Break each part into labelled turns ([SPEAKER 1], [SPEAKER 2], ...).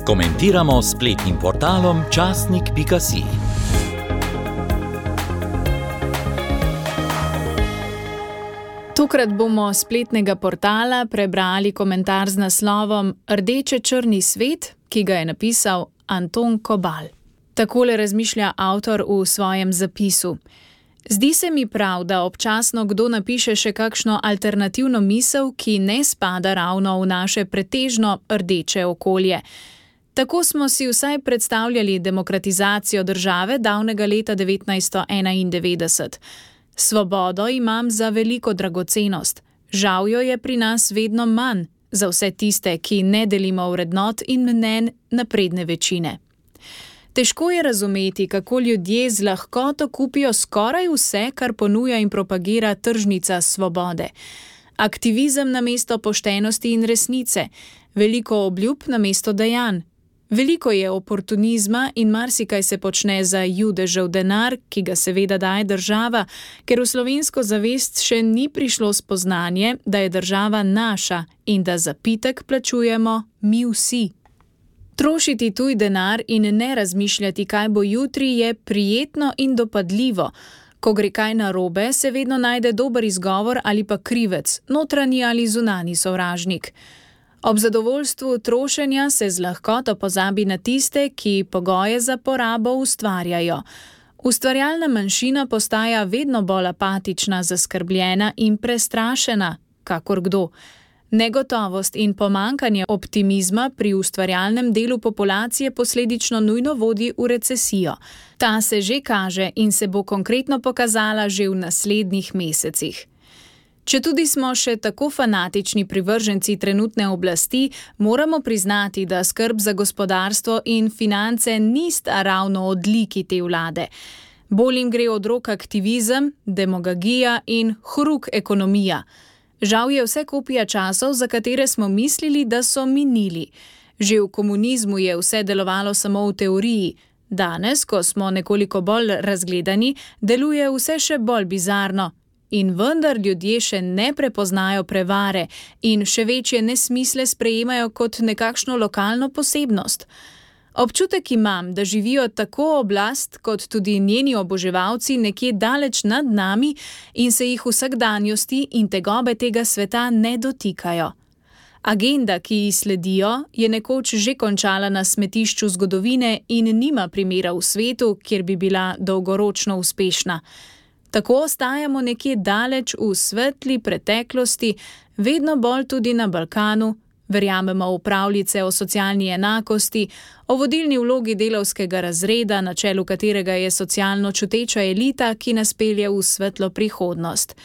[SPEAKER 1] Komentiramo s spletnim portalom časnik.si.
[SPEAKER 2] Tokrat bomo s spletnega portala prebrali komentar z naslovom Rdeče-črni svet, ki ga je napisal Anton Kobal. Takole razmišlja avtor v svojem zapisu. Zdi se mi prav, da občasno kdo napiše še kakšno alternativno misel, ki ne spada ravno v naše pretežno rdeče okolje. Tako smo si vsaj predstavljali demokratizacijo države davnega leta 1991. Svobodo imam za veliko dragocenost. Žal jo je pri nas vedno manj, za vse tiste, ki ne delimo vrednot in mnenj napredne večine. Težko je razumeti, kako ljudje z lahkoto kupijo skoraj vse, kar ponuja in propagira tržnica svobode. Aktivizem namesto poštenosti in resnice, veliko obljub namesto dejanj. Veliko je oportunizma in marsikaj se počne za judežev denar, ki ga seveda daje država, ker v slovensko zavest še ni prišlo spoznanje, da je država naša in da zapitek plačujemo mi vsi. Trošiti tuj denar in ne razmišljati, kaj bo jutri, je prijetno in dopadljivo. Ko gre kaj narobe, se vedno najde dober izgovor ali pa krivec, notranji ali zunanji sovražnik. Ob zadovoljstvu trošenja se z lahkoto pozabi na tiste, ki pogoje za porabo ustvarjajo. Ustvarjalna manjšina postaja vedno bolj apatična, zaskrbljena in prestrašena, kakor kdo. Negotovost in pomanjkanje optimizma pri ustvarjalnem delu populacije posledično nujno vodi v recesijo. Ta se že kaže in se bo konkretno pokazala že v naslednjih mesecih. Četudi smo še tako fanatični privrženci trenutne oblasti, moramo priznati, da skrb za gospodarstvo in finance nista ravno odliki te vlade. Bolj jim gre od rok aktivizem, demagogija in hruk ekonomija. Žal je vse kopija časov, za katere smo mislili, da so minili. Že v komunizmu je vse delovalo samo v teoriji. Danes, ko smo nekoliko bolj razgledani, deluje vse še bolj bizarno. In vendar ljudje še ne prepoznajo prevare in še večje nesmisle sprejemajo kot nekakšno lokalno posebnost. Občutek imam, da živijo tako oblast kot tudi njeni oboževalci nekje daleč nad nami in se jih vsakdanjosti in tegobe tega sveta ne dotikajo. Agenda, ki ji sledijo, je nekoč že končala na smetišču zgodovine in nima primera v svetu, kjer bi bila dolgoročno uspešna. Tako ostajamo nekje daleč v svetli preteklosti, vedno bolj tudi na Balkanu, verjamemo v pravljice o socialni enakosti, o vodilni vlogi delavskega razreda, na čelu katerega je socialno čuteča elita, ki nas pelje v svetlo prihodnost.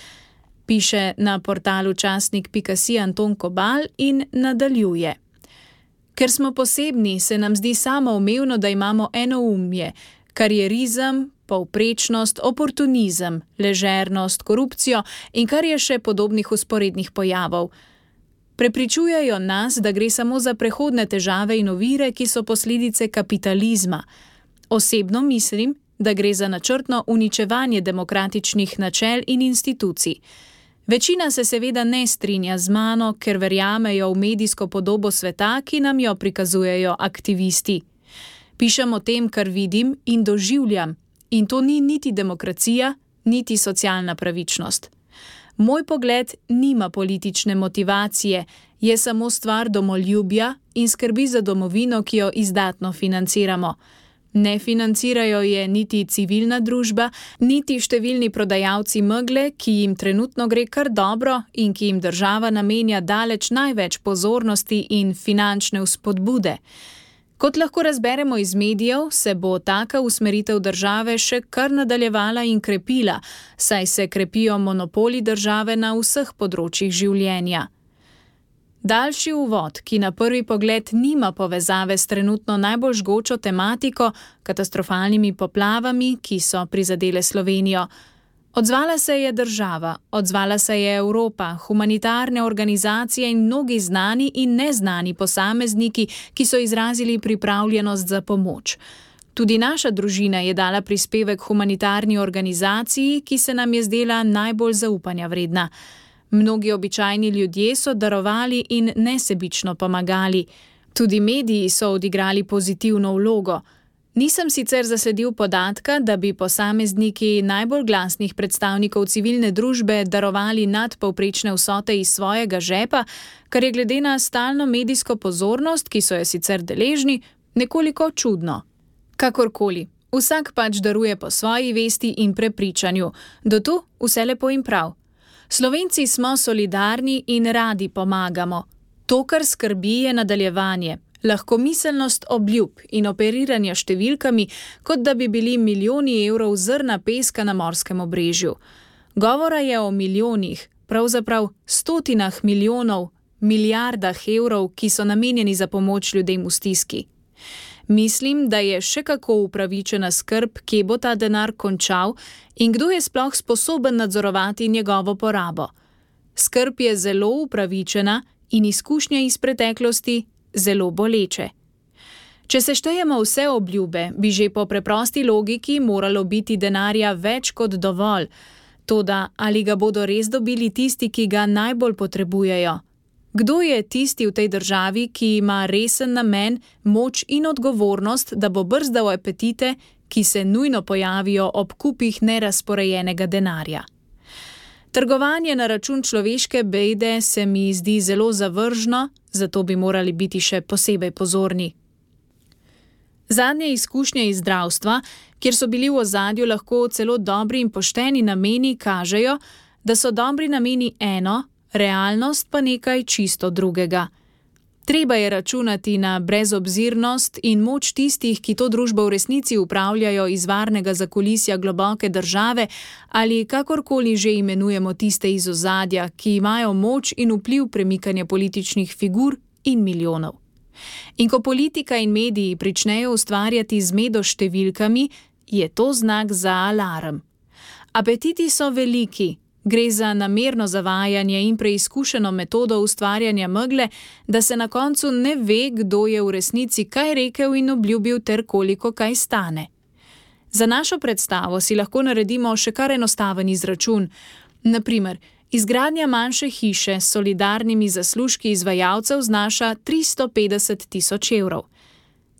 [SPEAKER 2] Piše na portalu časnik.si Anton Kobal in nadaljuje. Ker smo posebni, se nam zdi samoumevno, da imamo enoumje, karierizem, povprečnost, oportunizem, ležernost, korupcijo in kar je še podobnih vzporednih pojavov. Prepričujejo nas, da gre samo za prehodne težave in ovire, ki so posledice kapitalizma. Osebno mislim, da gre za načrtno uničevanje demokratičnih načel in institucij. Večina se seveda ne strinja z mano, ker verjamejo v medijsko podobo sveta, ki nam jo prikazujejo aktivisti. Pišem o tem, kar vidim in doživljam. In to ni niti demokracija, niti socialna pravičnost. Moj pogled nima politične motivacije, je samo stvar domoljubja in skrbi za domovino, ki jo izdatno financiramo. Ne financirajo je niti civilna družba, niti številni prodajalci megle, ki jim trenutno gre kar dobro in ki jim država namenja daleč največ pozornosti in finančne vzpodbude. Kot lahko razberemo iz medijev, se bo taka usmeritev države še kar nadaljevala in krepila, saj se krepijo monopoli države na vseh področjih življenja. Daljši uvod, ki na prvi pogled nima povezave s trenutno najbolj žgočo tematiko, katastrofalnimi poplavami, ki so prizadele Slovenijo. Odzvala se je država, odzvala se je Evropa, humanitarne organizacije in mnogi znani in neznani posamezniki, ki so izrazili pripravljenost za pomoč. Tudi naša družina je dala prispevek humanitarni organizaciji, ki se nam je zdela najbolj zaupanja vredna. Mnogi običajni ljudje so darovali in nesebično pomagali. Tudi mediji so odigrali pozitivno vlogo. Nisem sicer zasledil podatka, da bi posamezniki najbolj glasnih predstavnikov civilne družbe darovali nadpovprečne vsote iz svojega žepa, kar je glede na stalno medijsko pozornost, ki so jo sicer deležni, nekoliko čudno. Kakorkoli, vsak pač daruje po svoji vesti in prepričanju. Do tu vse lepo in prav. Slovenci smo solidarni in radi pomagamo. To, kar skrbi, je nadaljevanje. Lahkomiselnost obljub in operiranja številkami, kot da bi bili milijoni evrov zrna peska na morskem obrežju. Govora je o milijonih, pravzaprav stotinah milijonov, milijardah evrov, ki so namenjeni za pomoč ljudem v stiski. Mislim, da je še kako upravičena skrb, kje bo ta denar končal in kdo je sploh sposoben nadzorovati njegovo porabo. Skrb je zelo upravičena in izkušnje iz preteklosti zelo boleče. Če seštejemo vse obljube, bi že po preprosti logiki moralo biti denarja več kot dovolj. Toda ali ga bodo res dobili tisti, ki ga najbolj potrebujejo? Kdo je tisti v tej državi, ki ima resen namen, moč in odgovornost, da bo brzdal apetite, ki se nujno pojavijo ob kupih nerazporejenega denarja? Trgovanje na račun človeške bede se mi zdi zelo zavržno, zato bi morali biti še posebej pozorni. Zadnje izkušnje iz zdravstva, kjer so bili v ozadju lahko celo dobri in pošteni nameni, kažejo, da so dobri nameni eno, realnost pa nekaj čisto drugega. Treba je računati na brezobzirnost in moč tistih, ki to družbo v resnici upravljajo iz varnega zakulisja globoke države ali kakorkoli že imenujemo tiste iz ozadja, ki imajo moč in vpliv premikanja političnih figur in milijonov. In ko politika in mediji pričnejo ustvarjati zmedo s številkami, je to znak za alarm. Apetiti so veliki. Gre za namerno zavajanje in preizkušeno metodo ustvarjanja megle, da se na koncu ne ve, kdo je v resnici kaj rekel in obljubil ter koliko kaj stane. Za našo predstavo si lahko naredimo še kar enostaven izračun. Naprimer, izgradnja manjše hiše s solidarnimi zaslužki izvajalcev znaša 350 tisoč evrov.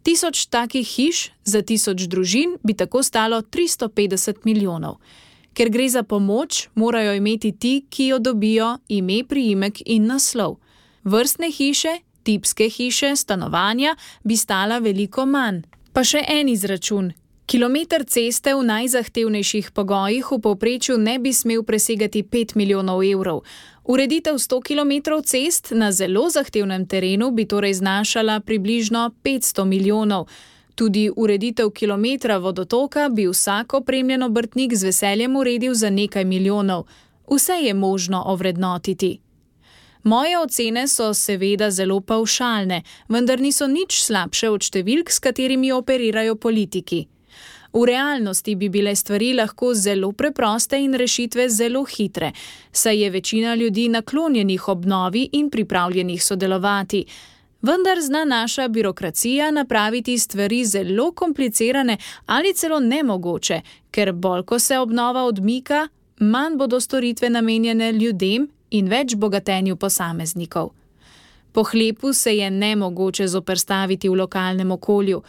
[SPEAKER 2] 1000 takih hiš za 1000 družin bi tako stalo 350 milijonov. Ker gre za pomoč, morajo imeti ti, ki jo dobijo, ime, priimek in naslov. Vrstne hiše, tipske hiše, stanovanja bi stala veliko manj. Pa še en izračun. Kilometer ceste v najzahtevnejših pogojih v povprečju ne bi smel presegati 5 milijonov evrov. Ureditev 100 kilometrov cest na zelo zahtevnem terenu bi torej znašala približno 500 milijonov. Tudi ureditev kilometra vodotoka bi vsak opremljen obrtnik z veseljem uredil za nekaj milijonov. Vse je možno ovrednotiti. Moje ocene so seveda zelo pavšalne, vendar niso nič slabše od številk, s katerimi operirajo politiki. V realnosti bi bile stvari lahko zelo preproste in rešitve zelo hitre, saj je večina ljudi naklonjenih obnovi in pripravljenih sodelovati. Vendar zna naša birokracija napraviti stvari zelo komplicirane ali celo nemogoče, ker bolj ko se obnova odmika, manj bodo storitve namenjene ljudem in več bogatenju posameznikov. Pohlepu se je nemogoče zoperstaviti v lokalnem okolju.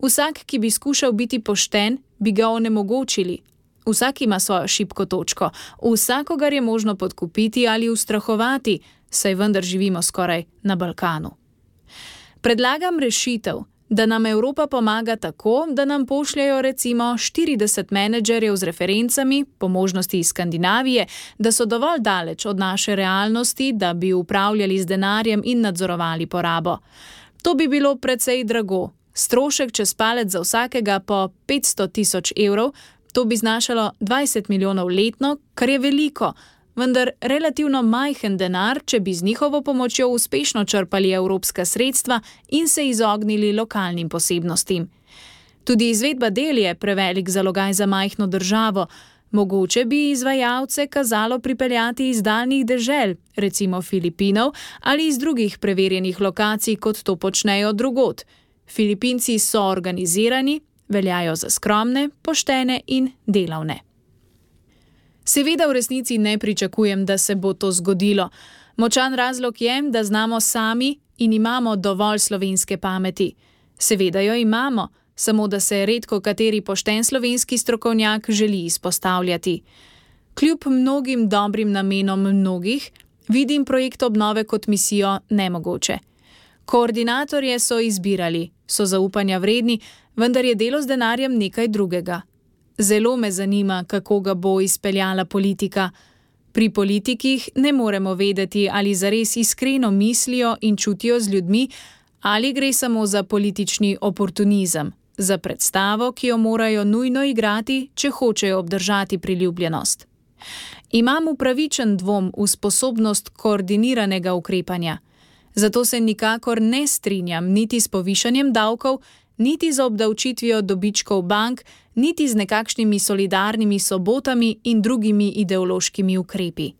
[SPEAKER 2] Vsak, ki bi skušal biti pošten, bi ga onemogočili. Vsak ima svojo šibko točko, vsakogar je možno podkupiti ali ustrahovati, saj vendar živimo skoraj na Balkanu. Predlagam rešitev, da nam Evropa pomaga tako, da nam pošljajo recimo 40 menedžerjev z referencami, po možnosti iz Skandinavije, da so dovolj daleč od naše realnosti, da bi upravljali z denarjem in nadzorovali porabo. To bi bilo precej drago. Strošek čez palec za vsakega po 500 tisoč evrov, to bi znašalo 20 milijonov letno, kar je veliko, vendar relativno majhen denar, če bi z njihovo pomočjo uspešno črpali evropska sredstva in se izognili lokalnim posebnostim. Tudi izvedba del je prevelik zalogaj za majhno državo. Mogoče bi izvajalce kazalo pripeljati iz daljnih dežel, recimo Filipinov, ali iz drugih preverjenih lokacij, kot to počnejo drugod. Filipinci so organizirani, veljajo za skromne, poštene in delavne. Seveda v resnici ne pričakujem, da se bo to zgodilo. Močan razlog je, da znamo sami in imamo dovolj slovenske pameti. Seveda jo imamo, samo da se redko kateri pošten slovenski strokovnjak želi izpostavljati. Kljub mnogim dobrim namenom mnogih, vidim projekt obnove kot misijo nemogoče. Koordinatorje so izbirali, so zaupanja vredni, vendar je delo z denarjem nekaj drugega. Zelo me zanima, kako ga bo izpeljala politika. Pri politikih ne moremo vedeti, ali zares iskreno mislijo in čutijo z ljudmi, ali gre samo za politični oportunizem, za predstavo, ki jo morajo nujno igrati, če hočejo obdržati priljubljenost. Imam upravičen dvom v sposobnost koordiniranega ukrepanja. Zato se nikakor ne strinjam niti s povišanjem davkov, niti z obdavčitvijo dobičkov bank, niti z nekakšnimi solidarnimi sobotami in drugimi ideološkimi ukrepi.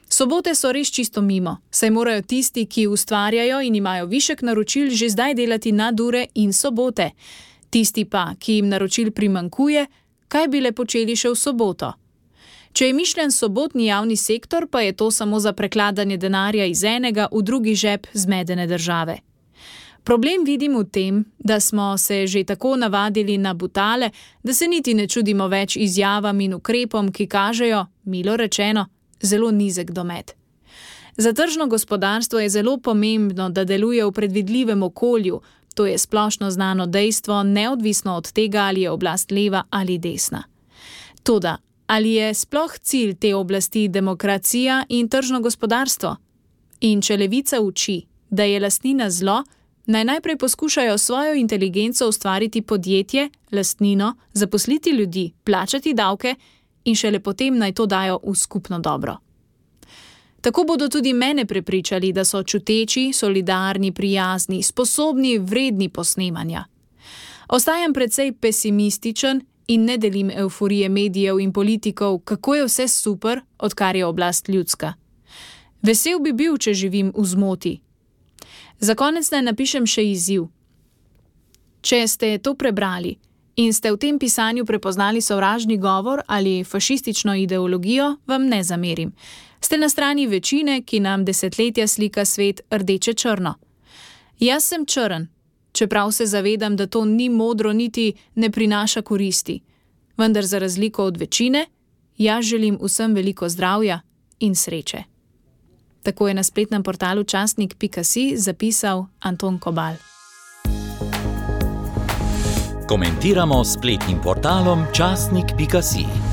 [SPEAKER 2] Sobote so res čisto mimo, saj morajo tisti, ki ustvarjajo in imajo višek naročil, že zdaj delati nadure in sobote. Tisti pa, ki jim naročil primanjkuje, kaj bi le počeli še v soboto? Če je mišljen sobotni javni sektor, pa je to samo za prekladanje denarja iz enega v drugi žep zmedene države. Problem vidim v tem, da smo se že tako navadili na butale, da se niti ne čudimo več izjavam in ukrepom, ki kažejo, milo rečeno, zelo nizek domet. Za tržno gospodarstvo je zelo pomembno, da deluje v predvidljivem okolju, to je splošno znano dejstvo, neodvisno od tega, ali je oblast leva ali desna. Toda, ali je sploh cilj te oblasti demokracija in tržno gospodarstvo? In če levica uči, da je lastnina zlo, naj najprej poskušajo svojo inteligenco ustvariti podjetje, lastnino, zaposliti ljudi, plačati davke in šele potem naj to dajo v skupno dobro. Tako bodo tudi mene prepričali, da so čuteči, solidarni, prijazni, sposobni, vredni posnemanja. Ostajam precej pesimističen in ne delim evforije medijev in politikov, kako je vse super, odkar je oblast ljudska. Vesel bi bil, če živim v zmoti. Za konec naj napišem še izziv. Če ste to prebrali in ste v tem pisanju prepoznali sovražni govor ali fašistično ideologijo, vam ne zamerim. Ste na strani večine, ki nam desetletja slika svet rdeče-črno. Jaz sem črn, čeprav se zavedam, da to ni modro niti ne prinaša koristi. Vendar za razliko od večine, jaz želim vsem veliko zdravja in sreče. Tako je na spletnem portalu časnik.si zapisal Anton Kobal.
[SPEAKER 1] Komentiramo s spletnim portalom časnik.si.